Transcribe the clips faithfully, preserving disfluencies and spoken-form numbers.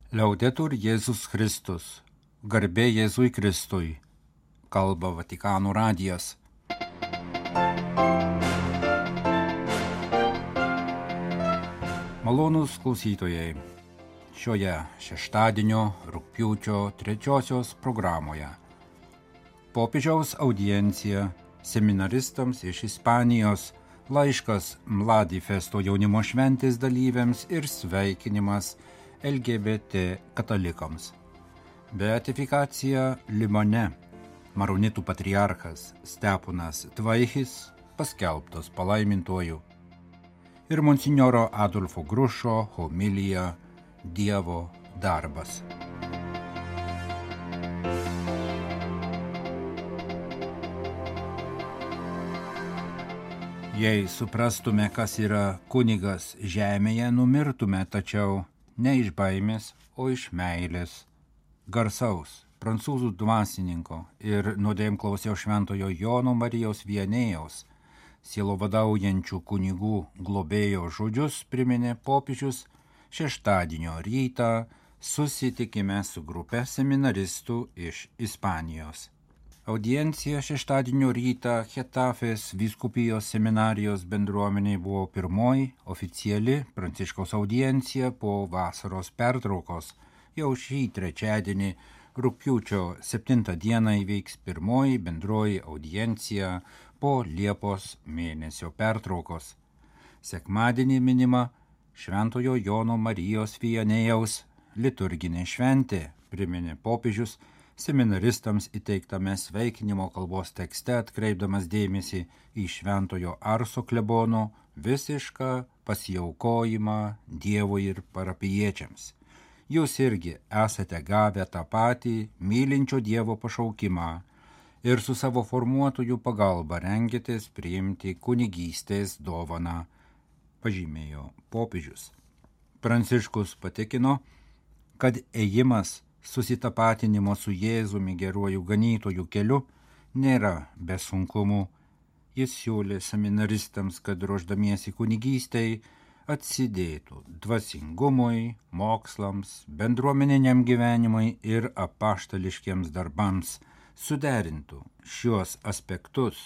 Liaudetur Jėzus Kristus, garbė Jėzui Kristui, kalba Vatikano radijas. Malonūs klausytojai, šioje šeštadienio rugpjūčio trečiosios programoje popiežiaus audiencija seminaristams iš Ispanijos, laiškas Mladifesto jaunimo šventės dalyviams ir sveikinimas L G B T katalikams. Beatifikacija Limane, maronitų patriarchas Steponas Tvaichis paskelbtas palaimintuoju. Ir monsinjoro Adolfo Grušo homilija Dievo darbas. Jei suprastume, kas yra kunigas žemėje, numirtume, tačiau ne iš baimės, o iš meilės. Garsaus prancūzų dvasininko ir nuodėmklausio šventojo Jono Marijos Viannėjaus, sielovadaujančių kunigų globėjo žodžius priminė popiežius šeštadienio rytą susitikime su grupe seminaristų iš Ispanijos. Audiencija šeštadienio rytą Chetafės vyskupijos seminarijos bendruomeniai buvo pirmoji oficiali Pranciškaus audiencija po vasaros pertraukos. Jau šį trečiadienį rugpjūčio septintą dieną įvyks pirmoji bendroji audiencija po Liepos mėnesio pertraukos. Sekmadienį minima Šventojo Jono Marijos Viannėjaus liturginė šventė, priminė popiežius seminaristams įteiktame sveikinimo kalbos tekste, atkreipdamas dėmesį į Šventojo Arso klebono visišką pasiaukojimą Dievui ir parapijiečiams. Jūs irgi esate gavę tą patį mylinčio Dievo pašaukimą ir su savo formuotojų pagalba rengėtės priimti kunigystės dovaną, pažymėjo popiežius. Pranciškus patikino, kad ėjimas susitapatinimo su Jėzumi geruoju ganytoju keliu nėra be sunkumų. Jis siūlė seminaristams, kad ruošdamiesi kunigystei atsidėtų dvasingumui, mokslams, bendruomeniniam gyvenimui ir apaštališkiems darbams, suderintų šiuos aspektus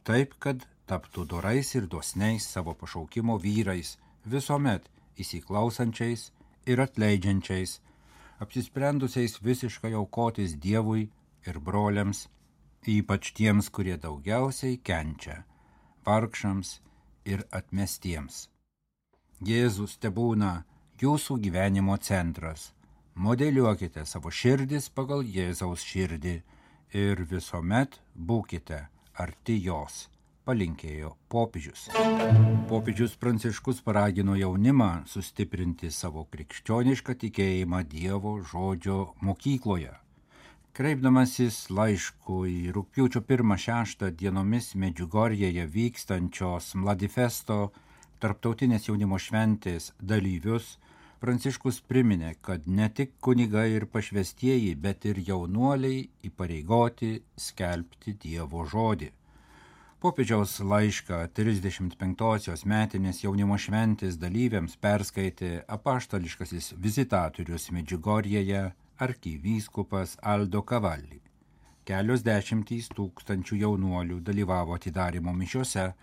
taip, kad taptų dorais ir dosniais savo pašaukimo vyrais, visuomet įsiklausančiais ir atleidžiančiais, apsisprendusiais visiškai aukotis Dievui ir broliams, ypač tiems, kurie daugiausiai kenčia, vargšams ir atmestiems. Jėzus tebūna jūsų gyvenimo centras. Modeliuokite savo širdis pagal Jėzaus širdį ir visuomet būkite arti jos, palinkėjo popiežius. Popiežius Pranciškus paragino jaunimą sustiprinti savo krikščionišką tikėjimą Dievo žodžio mokykloje. Kreipdamasis laišku į rugpjūčio pirmą šeštą dienomis Medžiugorjėje vykstančios Mladifesto tarptautinės jaunimo šventės dalyvius, Pranciškus priminė, kad ne tik kunigai ir pašvestieji, bet ir jaunuoliai įpareigoti skelbti Dievo žodį. Popiežiaus laišką trisdešimt penktosios metinės jaunimo šventės dalyviams perskaitė apaštališkasis vizitatorius Medžiugorjėje arkivyskupas Aldo Cavalli. Kelios dešimtys tūkstančių jaunuolių dalyvavo atidarymo mišiose,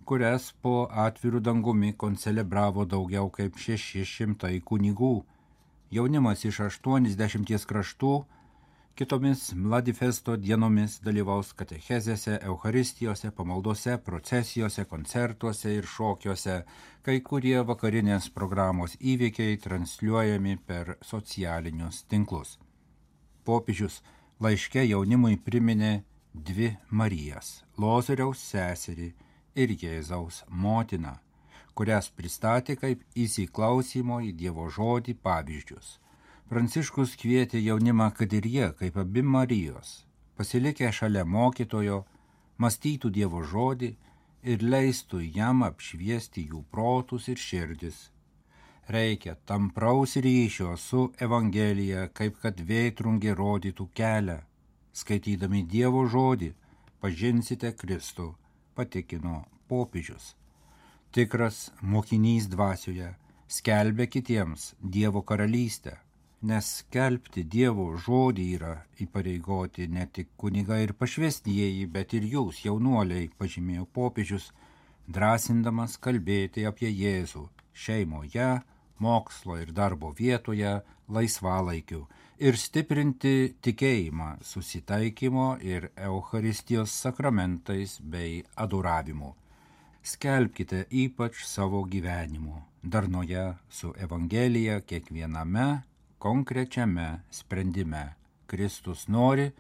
kurias po atvirų dangumi koncelebravo daugiau kaip šeši šimtai kunigų. Jaunimas iš aštuoniasdešimties kraštų kitomis Mladifesto dienomis dalyvaus katechezėse, eucharistijose, pamaldose, procesijose, koncertuose ir šokiuose, kai kurie vakarinės programos įvykiai transliuojami per socialinius tinklus. Popiežius laiške jaunimui priminė dvi Marijas – Lozoriaus seserį ir Jėzaus motiną, kurias pristatė kaip įsiklausymo į Dievo žodį pavyzdžius. Pranciškus kvietė jaunimą, kad ir jie, kaip abi Marijos, pasilikę šalia mokytojo, mąstytų Dievo žodį ir leistų jam apšviesti jų protus ir širdis. Reikia tampraus ryšio su Evangelija, kaip kad vėtrungė rodytų kelią. Skaitydami Dievo žodį, pažinsite Kristų, patikino popiežius. Tikras mokinys dvasioje skelbia kitiems Dievo karalystę. nes skelbti Dievo žodį yra įpareigoti ne tik kunigai ir pašvestieji, bet ir jūs, jaunuoliai, pažymėjo popiežius, drąsindamas kalbėti apie Jėzų šeimoje, mokslo ir darbo vietoje, laisvalaikiu ir stiprinti tikėjimą susitaikymo ir Eucharistijos sakramentais bei adoravimu. Skelbkite ypač savo gyvenimu, darnoje su Evangelija kiekviename konkrečiame sprendime. Kristus nori,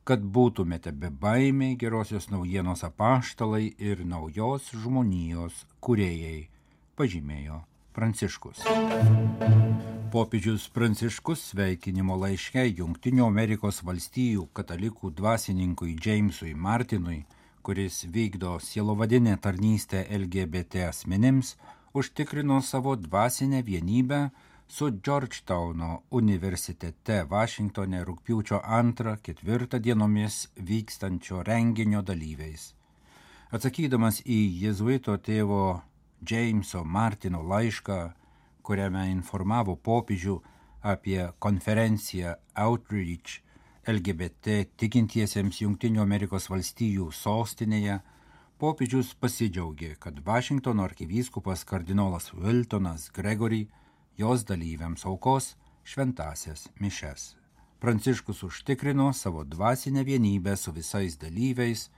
kad būtumėte bebaimiai gerosios naujienos apaštalai ir naujos žmonijos kūrėjai, pažymėjo Pranciškus. Popiežius Pranciškus sveikinimo laiške Jungtinių Amerikos valstijų katalikų dvasininkui Jamesui Martinui, kuris vykdo sielovadinę tarnystę L G B T asmenims, užtikrino savo dvasinę vienybę su Georgetowno universitete Vašingtone rugpjūčio antrą ketvirtą dienomis vykstančio renginio dalyviais. Atsakydamas į jėzuito tėvo Jameso Martino laišką, kuriame informavo popiežių apie konferenciją Outreach L G B T tikintiesiems Jungtinių Amerikos valstijų sostinėje, popiežius pasidžiaugė, kad Vašingtono arkivyskupas kardinolas Wiltonas Gregory jos dalyviams aukos šventąsias mišes. Pranciškus užtikrino savo dvasinę vienybę su visais dalyviais,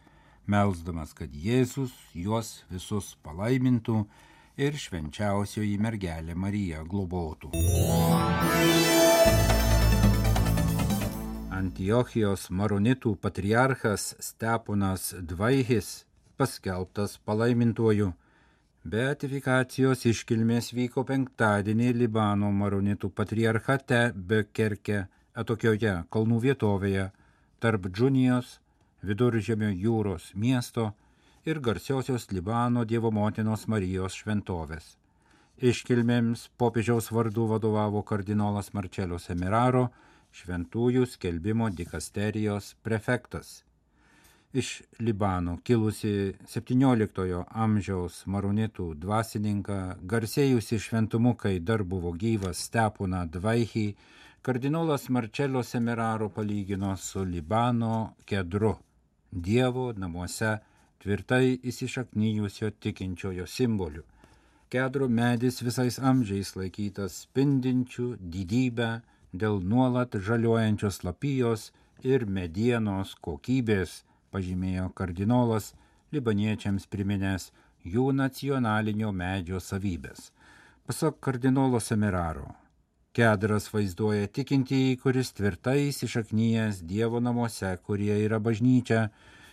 melsdamas, kad Jėzus juos visus palaimintų ir švenčiausioji mergelė Marija globotų. Antiochijos maronitų patriarchas Steponas Dvaihis paskelbtas palaimintuoju. Beatifikacijos iškilmės vyko penktadienį Libano maronitų patriarchate Bekerke, atokioje kalnų vietovėje, tarp Džunijos, Viduržemio jūros miesto ir garsiosios Libano Dievo motinos Marijos šventovės. Iškilmėms popiežiaus vardu vadovavo kardinolas Marcello Semeraro, šventųjų skelbimo dikasterijos prefektas. Iš Libano kilusi septynioliktojo amžiaus maronitų dvasininką, garsėjusi šventumu, kai dar buvo gyvas Steponą Dvaihį, kardinolas Marcello Semeraro palygino su Libano kedru, Dievo namuose tvirtai įsišaknyjusio tikinčiojo simboliu. Kedro medis visais amžiais laikytas spindinčių didybę dėl nuolat žaliuojančios lapijos ir medienos kokybės, pažymėjo kardinolas, libaniečiams priminęs jų nacionalinio medžio savybės. Pasak kardinolo Semeraro, kedras vaizduoja tikintįjį, kuris tvirtai įsišaknyjęs Dievo namuose, kurie yra bažnyčia,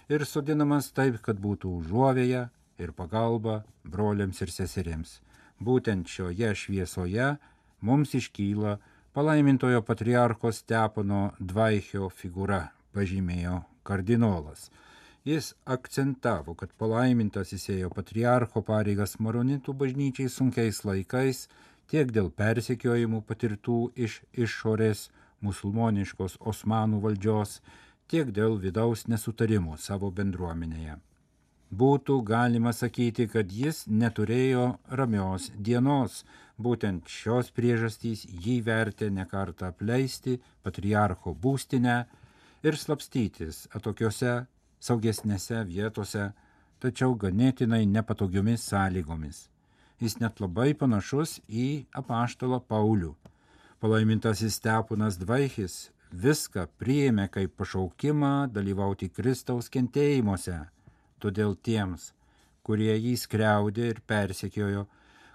ir sodinamas taip, kad būtų užuovėja ir pagalba broliams ir seserims. Būtent šioje šviesoje mums iškyla palaimintojo patriarcho Stepono Dvaihio figūra, pažymėjo kardinolas. Jis akcentavo, kad palaimintasis ėjo patriarcho pareigas maronitų bažnyčiai sunkiais laikais, tiek dėl persekiojimų patirtų iš išorės musulmoniškos Osmanų valdžios, tiek dėl vidaus nesutarimų savo bendruomenėje. Būtų galima sakyti, kad jis neturėjo ramios dienos, būtent šios priežastys jį vertė ne kartą apleisti patriarcho būstinę ir slapstytis atokiose, saugesnėse vietose, tačiau ganėtinai nepatogiomis sąlygomis. Jis net labai panašus į apaštalą Paulių. Palaimintasis Steponas Dvaihis viską priėmė kaip pašaukimą dalyvauti Kristaus kentėjimuose, todėl tiems, kurie jį skriaudė ir persekiojo,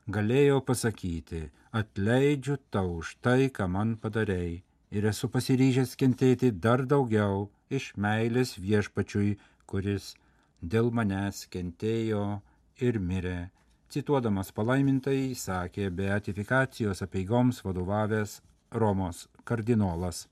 galėjo pasakyti: atleidžiu tau už tai, ką man padarei, ir esu pasiryžęs kentėti dar daugiau iš meilės viešpačiui, kuris dėl manęs kentėjo ir mirė. Cituodamas palaimintai, sakė beatifikacijos apeigoms vadovavęs Romos kardinolas.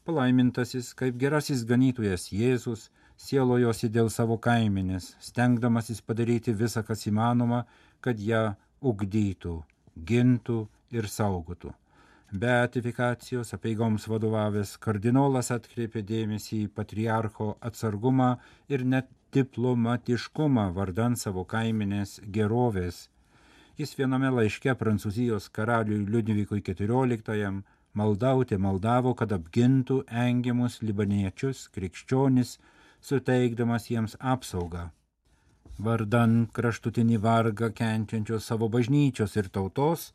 Palaimintasis, kaip gerasis ganytojas Jėzus, sielojosi dėl savo kaimenės, stengdamasis padaryti visą, kas įmanoma, kad ją ugdytų, gintų ir saugotų. Beatifikacijos apeigoms vadovavęs kardinolas atkreipė dėmesį į patriarcho atsargumą ir net diplomatiškumą vardan savo kaimenės gerovės. Jis viename laiške Prancūzijos karaliui Liudvikui keturioliktajam maldauti maldavo, kad apgintų engiamus libaniečius, krikščionis, suteikdamas jiems apsaugą. Vardan kraštutinį vargą kenčiančios savo bažnyčios ir tautos,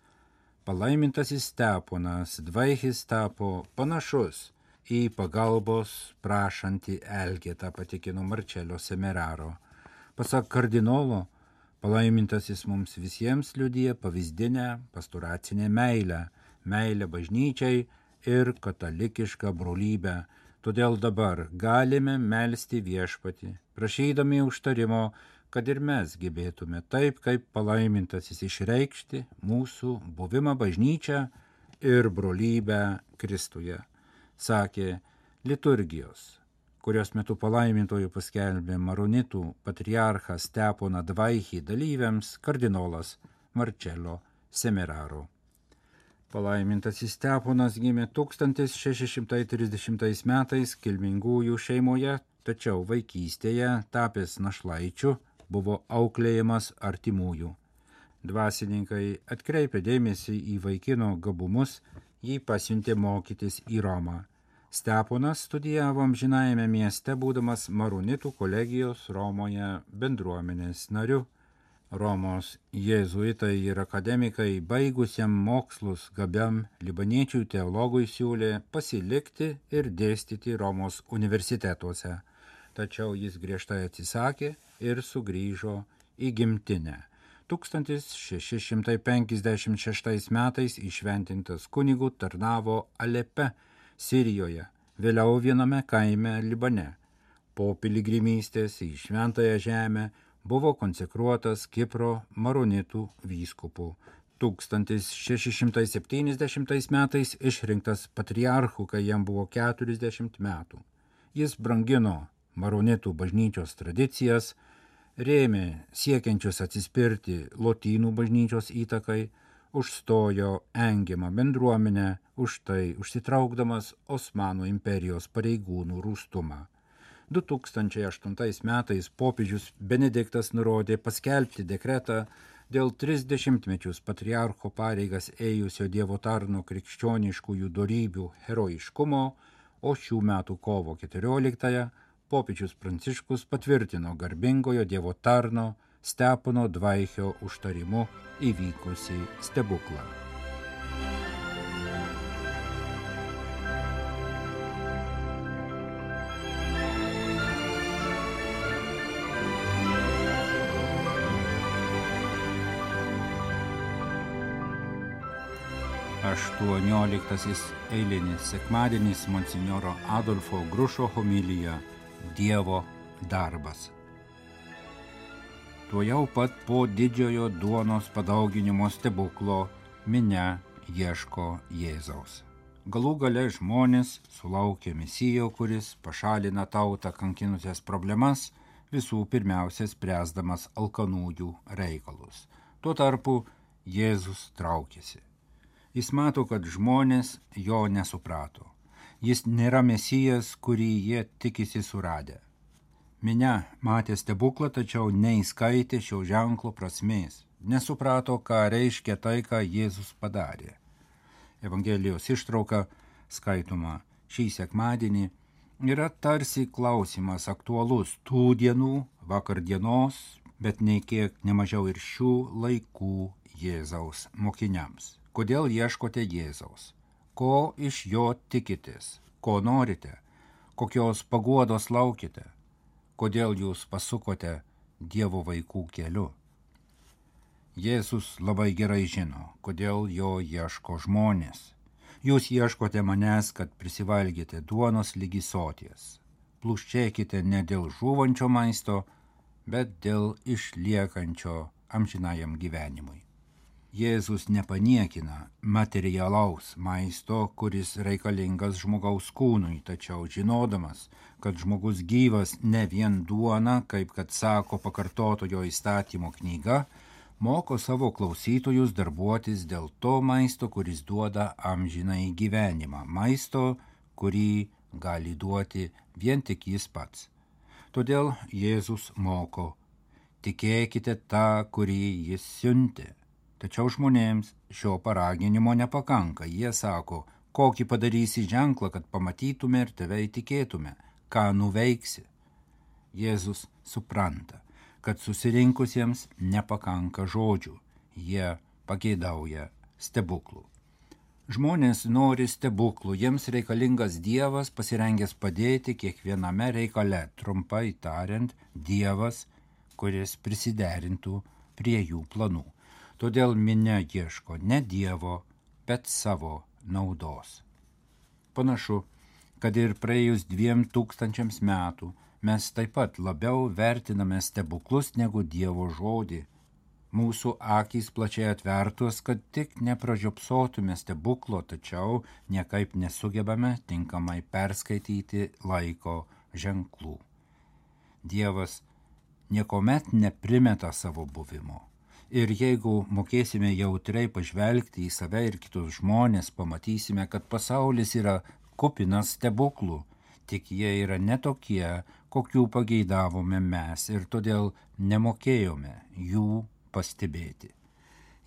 palaimintasis Steponas Dvaihis tapo panašus į pagalbos prašantį Elgetą, patikino Marčelio Semeraro. Pasak kardinolo, palaimintasis mums visiems liudija pavyzdinę pastoracinę meilę, meilę bažnyčiai ir katalikišką brolybę. Todėl dabar galime melsti viešpatį, prašydami užtarimo, kad ir mes gebėtume taip, kaip palaimintasis išreikšti mūsų buvimą bažnyčią ir brolybę Kristuje, sakė liturgijos, kurios metu palaimintojų paskelbė maronitų patriarchą Steponą Dvaihį dalyviams kardinolas Marčelio Semeraro. Palaimintasis Steponas gimė tūkstantis šeši šimtai trisdešimtais metais kilmingųjų šeimoje, tačiau vaikystėje, tapęs našlaičiu, buvo auklėjamas artimųjų. Dvasininkai atkreipė dėmesį į vaikino gabumus, jį pasiuntė mokytis į Romą. Steponas studijavo amžinajame mieste, būdamas maronitų kolegijos Romoje bendruomenės nariu. Romos jėzuitai ir akademikai baigusiam mokslus gabiam libaniečių teologui siūlė pasilikti ir dėstyti Romos universitetuose. Tačiau jis griežtai atsisakė ir sugrįžo į gimtinę. tūkstantis šeši šimtai penkiasdešimt šeštais metais įšventintas kunigu tarnavo Alepe, Sirijoje, vėliau viename kaime Libane. Po piligrimystės į šventąją žemę buvo konsekruotas Kipro maronitų vyskupu. tūkstantis šeši šimtai septyniasdešimtais metais išrinktas patriarchu, kai jam buvo keturiasdešimt metų. Jis brangino maronitų bažnyčios tradicijas, rėmė siekiančius atsispirti lotynų bažnyčios įtakai, užstojo engiamą bendruomenę, už tai užsitraukdamas Osmanų imperijos pareigūnų rūstumą. du tūkstančiai aštuntais metais popiežius Benediktas nurodė paskelbti dekretą dėl tris dešimtmečius patriarcho pareigas ėjusio Dievo tarno krikščioniškųjų dorybių herojiškumo, o šių metų kovo keturioliktąją popiežius Pranciškus patvirtino garbingojo Dievo tarno Stepono Dvaihio užtarimu įvykusį stebuklą. aštuonioliktasis eilinis sekmadienis monsinjoro Adolfo Grušo homilija Dievo darbas. Tuojau pat po didžiojo duonos padauginimo stebuklo minia ieško Jėzaus. Galų gale žmonės sulaukė Mesijo, kuris pašalina tautą kankinusias problemas, visų pirmiausia spręsdamas alkanųjų reikalus. Tuo tarpu Jėzus traukėsi. Jis mato, kad žmonės jo nesuprato. Jis nėra Mesijas, kurį jie tikisi suradę. Minia matė stebuklą, tačiau neįskaitė šio ženklo prasmės. Nesuprato, ką reiškia tai, ką Jėzus padarė. Evangelijos ištrauka, skaitoma šį sekmadienį, yra tarsi klausimas aktualus tų dienų, vakar dienos, bet nei kiek nemažiau ir šių laikų Jėzaus mokiniams. Kodėl ieškote Jėzaus? Ko iš jo tikitės? Ko norite? Kokios paguodos laukite? Kodėl jūs pasukote Dievo vaikų keliu? Jėzus labai gerai žino, kodėl jo ieško žmonės. Jūs ieškote manęs, kad prisivalgėte duonos lygi soties. Pluščėkite ne dėl žūvančio maisto, bet dėl išliekančio amžinajam gyvenimui. Jėzus nepaniekina materialaus maisto, kuris reikalingas žmogaus kūnui, tačiau žinodamas, kad žmogus gyvas ne vien duona, kaip kad sako pakartotojo įstatymo knyga, moko savo klausytojus darbuotis dėl to maisto, kuris duoda amžinai gyvenimą, maisto, kurį gali duoti vien tik jis pats. Todėl Jėzus moko, tikėkite tą, kurį jis siuntė. Tačiau žmonėms šio paraginimo nepakanka. Jie sako, Kokį padarysi ženklą, kad pamatytume ir tave įtikėtume, ką nuveiksi. Jėzus supranta, kad susirinkusiems nepakanka žodžių, jie pageidauja stebuklų. Žmonės nori stebuklų, jiems reikalingas Dievas, pasirengęs padėti kiekviename reikale, trumpai tariant, Dievas, kuris prisiderintų prie jų planų. Todėl minia ieško ne Dievo, bet savo naudos. Panašu, kad ir praėjus dviem tūkstančiams metų mes taip pat labiau vertiname stebuklus negu Dievo žodį. Mūsų akys plačiai atvertos, kad tik nepražiopsotume stebuklo, tačiau niekaip nesugebame tinkamai perskaityti laiko ženklų. Dievas niekuomet neprimeta savo buvimo. Ir jeigu mokėsime jautriai pažvelgti į save ir kitus žmonės, pamatysime, kad pasaulis yra kupinas stebuklų, tik jie yra netokie, kokių pageidavome mes ir todėl nemokėjome jų pastebėti.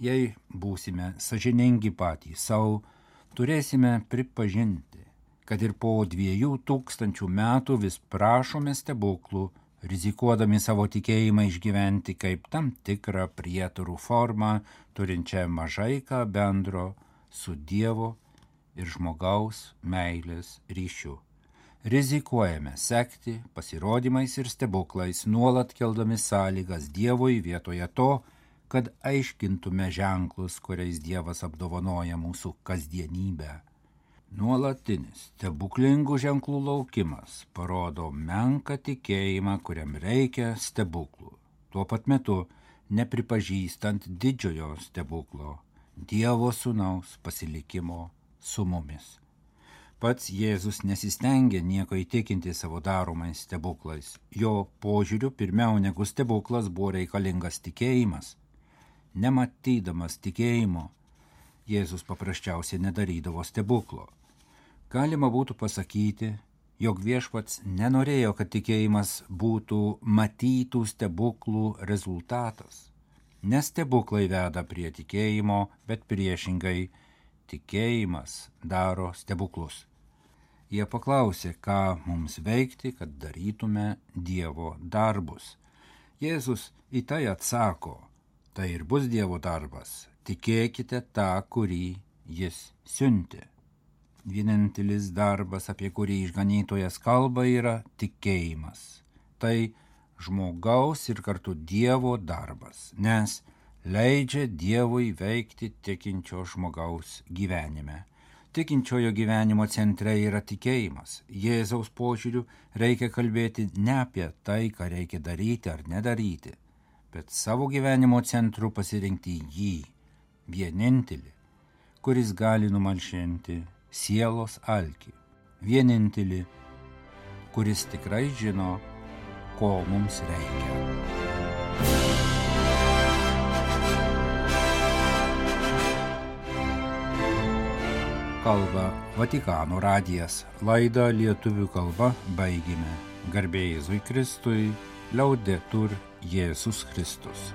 Jei būsime sąžiningi patys savo, turėsime pripažinti, kad ir po dviejų tūkstančių metų vis prašome stebuklų, rizikuodami savo tikėjimą išgyventi kaip tam tikrą prietarų formą, turinčią mažai ką bendro su Dievo ir žmogaus meilės ryšiu. Rizikuojame sekti pasirodymais ir stebuklais, nuolat keldami sąlygas Dievui vietoje to, kad aiškintume ženklus, kuriais Dievas apdovanoja mūsų kasdienybę. Nuolatinis stebuklingų ženklų laukimas parodo menką tikėjimą, kuriam reikia stebuklų. Tuo pat metu nepripažįstant didžiojo stebuklo, Dievo sūnaus pasilikimo su mumis. Pats Jėzus nesistengė nieko įtikinti savo daromais stebuklais. Jo požiūriu pirmiau negu stebuklas buvo reikalingas tikėjimas. Nematydamas tikėjimo, Jėzus paprasčiausiai nedarydavo stebuklo. Galima būtų pasakyti, jog viešpats nenorėjo, kad tikėjimas būtų matytų stebuklų rezultatas. Ne stebuklai veda prie tikėjimo, bet priešingai tikėjimas daro stebuklus. Jie paklausė, ką mums veikti, kad darytume Dievo darbus. Jėzus į tai atsako, tai ir bus Dievo darbas, tikėkite tą, kurį jis siuntė. Vienintelis darbas, apie kurį išganytojas kalba, yra tikėjimas. Tai žmogaus ir kartu Dievo darbas, nes leidžia Dievui veikti tikinčio žmogaus gyvenime. Tikinčiojo gyvenimo centre yra tikėjimas. Jėzaus požiūriu reikia kalbėti ne apie tai, ką reikia daryti ar nedaryti, bet savo gyvenimo centru pasirinkti jį, vienintelį, kuris gali numalšinti sielos alkį, vienintelį, kuris tikrai žino, ko mums reikia. Kalba Vatikano radijas. Laidą lietuvių kalba baigėme. Garbė Jėzui Kristui, liaudetur Jėzus Kristus.